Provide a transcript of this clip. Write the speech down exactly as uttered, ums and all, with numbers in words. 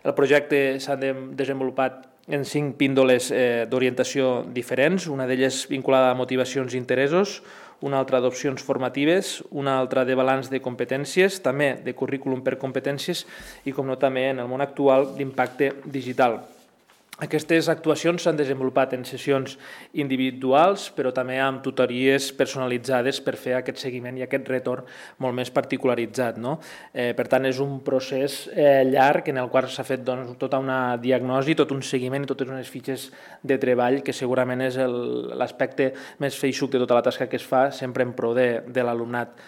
El projecte s'ha desenvolupat en cinc píndoles eh, d'orientació diferents, una d'elles vinculada a motivacions i interessos, una altra d'opcions formatives, una altra de balanç de competències, també de currículum per competències i, com no, també en el món actual d'impacte digital. Aquestes actuacions s'han desenvolupat en sessions individuals, però també amb tutories personalitzades per fer aquest seguiment i aquest retorn molt més particularitzat. No? Eh, per tant, és un procés eh, llarg en el qual s'ha fet doncs, tota una diagnosi, tot un seguiment i totes unes fitxes de treball, que segurament és l'aspecte més feixuc de tota la tasca que es fa, sempre en pro de, de l'alumnat.